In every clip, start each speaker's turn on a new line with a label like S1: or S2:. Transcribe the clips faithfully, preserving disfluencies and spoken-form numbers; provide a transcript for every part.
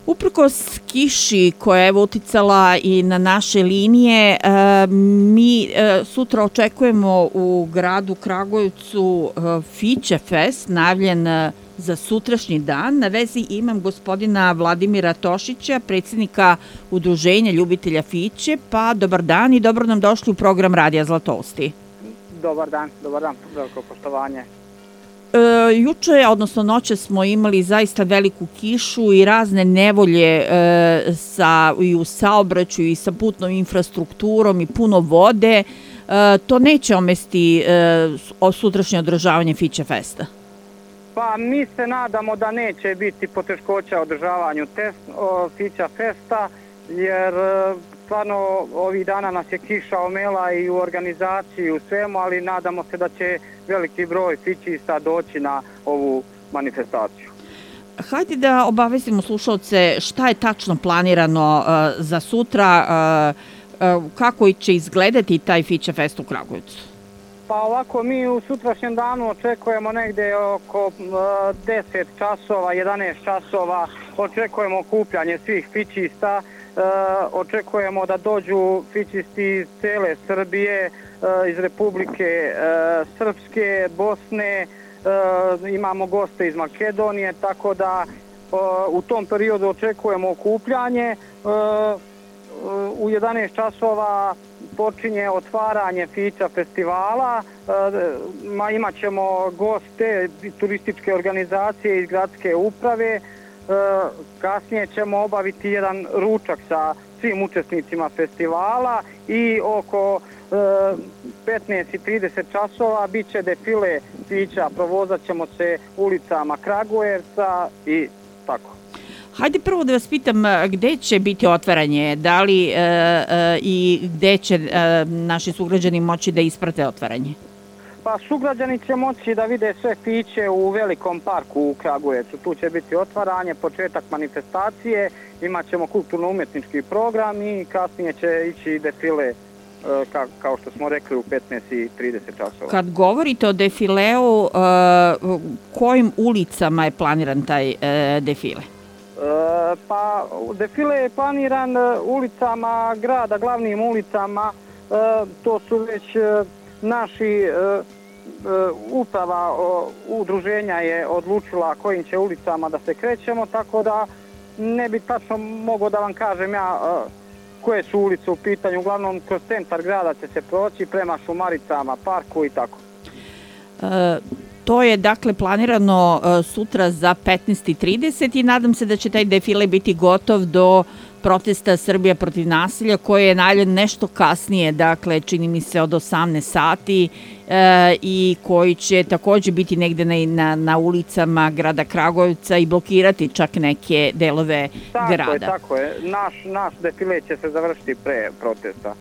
S1: Uprkos kiši koja je uticala i na naše linije, mi sutra očekujemo u gradu Kragujevcu Fiće Fest, najavljen za sutrašnji dan. Na vezi imam gospodina Vladimira Tošića, predsjednika Udruženja ljubitelja Fiće. Pa dobar dan i dobro nam došli u program Radija Zlatousti.
S2: Dobar dan, dobar dan, veliko poštovanje.
S1: E, juče, odnosno noće, smo imali zaista veliku kišu i razne nevolje e, sa, i u saobraćaju i sa putnom infrastrukturom i puno vode. E, to neće omesti e, sutrašnje održavanje Fiće Festa?
S2: Pa mi se nadamo da neće biti poteškoća održavanju test, o, Fića Festa, jer stvarno ovih dana nas je kiša omela i u organizaciji i u svemu, ali nadamo se da će veliki broj fićista doći na ovu manifestaciju.
S1: Hajde da obavestimo slušalce šta je tačno planirano uh, za sutra, uh, uh, kako će izgledati taj Fića Fest u Kragujevcu.
S2: Pa ovako, mi u sutrašnjem danu očekujemo negde oko uh, deset časova, jedanaest časova, očekujemo okupljanje svih fićista. Uh, očekujemo da dođu fićisti iz cele Srbije, uh, iz Republike uh, Srpske, Bosne, uh, imamo goste iz Makedonije, tako da uh, u tom periodu očekujemo okupljanje. Uh, uh, u jedanaest časova počinje otvaranje Fića festivala, uh, imat ćemo goste turističke organizacije iz gradske uprave. Kasnije ćemo obaviti jedan ručak sa svim učesnicima festivala i oko petnaest i trideset časova bit će defile Fića, provozat ćemo se ulicama Kragujevca i tako.
S1: Hajde prvo da vas pitam gde će biti otvaranje, da li e, e, i gde će e, naši sugrađani moći da isprate otvaranje?
S2: Pa sugrađani će moći da vide sve Fiće u velikom parku u Kragujevcu. Tu će biti otvaranje, početak manifestacije, imat ćemo kulturno-umjetnički program i kasnije će ići defile, ka, kao što smo rekli, u petnaest i trideset časova.
S1: Kad govorite o defileu, kojim ulicama je planiran taj defile?
S2: Pa defile je planiran ulicama grada, glavnim ulicama. To su već naši uprava udruženja je odlučila kojim će ulicama da se krećemo, tako da ne bi tačno mogao da vam kažem ja koje su ulice u pitanju. Uglavnom kroz centar grada će se proći prema Šumaricama, parku i tako.
S1: E, to je dakle planirano sutra za petnaest i trideset i nadam se da će taj defile biti gotov do protesta Srbija protiv nasilja, koji je najavljen nešto kasnije, dakle čini mi se od osamnaest sati e, i koji će također biti negde na, na, na ulicama grada Kragujevca i blokirati čak neke delove
S2: tako
S1: grada.
S2: Je, tako je, naš, naš defile će se završiti pre protesta.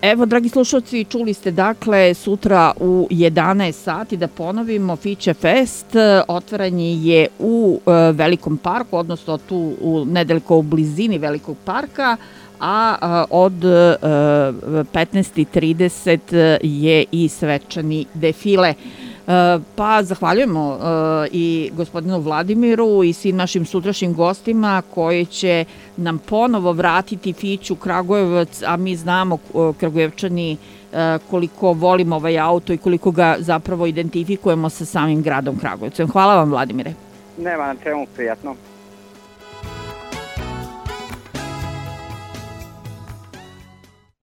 S1: Evo, dragi slušalci, čuli ste dakle sutra u jedanaest sati, da ponovimo, Fiće Fest. Otvaranje je u Velikom parku, odnosno tu u nedaleko u blizini Velikog parka, a od petnaest i trideset je i svečani defile. Pa zahvaljujemo i gospodinu Vladimiru i svim našim sutrašnjim gostima koji će nam ponovo vratiti Fiću Kragujevac, a mi znamo Kragujevčani koliko volimo ovaj auto i koliko ga zapravo identifikujemo sa samim gradom Kragujevcem. Hvala vam, Vladimire.
S2: Nema na čemu, prijatno.